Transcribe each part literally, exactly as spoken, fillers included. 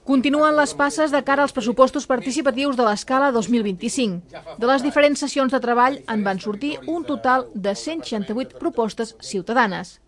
Continuen les passes de cara als pressupostos participatius de l'escala dos mil vint-i-cinc. De les diferents sessions de treball en van sortir un total de cent seixanta-vuit propostes ciutadanes.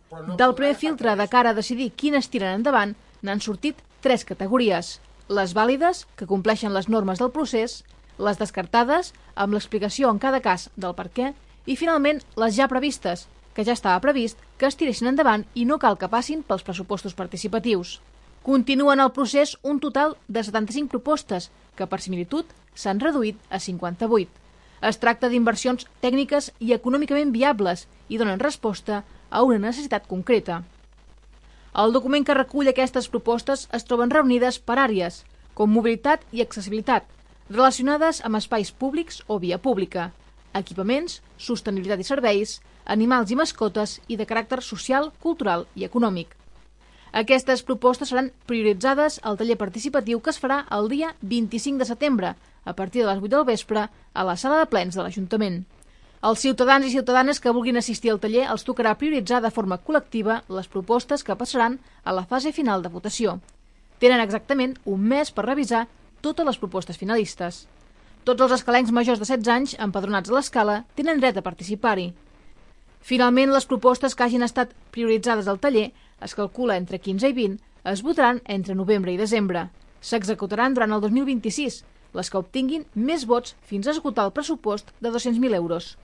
Del primer filtre de cara a decidir quines tiren endavant, n'han sortit tres categories. Les vàlides, que compleixen les normes del procés, les descartades, amb l'explicació en cada cas del per què, i finalment les ja previstes, que ja estava previst que es tiressin endavant i no cal que passin pels pressupostos participatius. Continuen el procés un total de setanta-cinc propostes, que per similitud s'han reduït a cinquanta-vuit. Es tracta d'inversions tècniques i econòmicament viables i donen resposta a una necessitat concreta. El document que recull aquestes propostes es troben reunides per àrees, com mobilitat i accessibilitat, relacionades amb espais públics o via pública, equipaments, sostenibilitat i serveis, animals i mascotes i de caràcter social, cultural i econòmic. Aquestes propostes seran prioritzades al taller participatiu que es farà el dia vint-i-cinc de setembre, a partir de les vuit del vespre, a la sala de plens de l'Ajuntament. Els ciutadans i ciutadanes que vulguin assistir al taller els tocarà prioritzar de forma col·lectiva les propostes que passaran a la fase final de votació. Tenen exactament un mes per revisar totes les propostes finalistes. Tots els escalencs majors de setze anys empadronats a l'escala tenen dret a participar-hi. Finalment, les propostes que hagin estat prioritzades al taller es calcula entre quinze i vint, es votaran entre novembre i desembre. S'executaran durant el dos mil vint-i-sis, les que obtinguin més vots fins a esgotar el pressupost de dos-cents mil euros.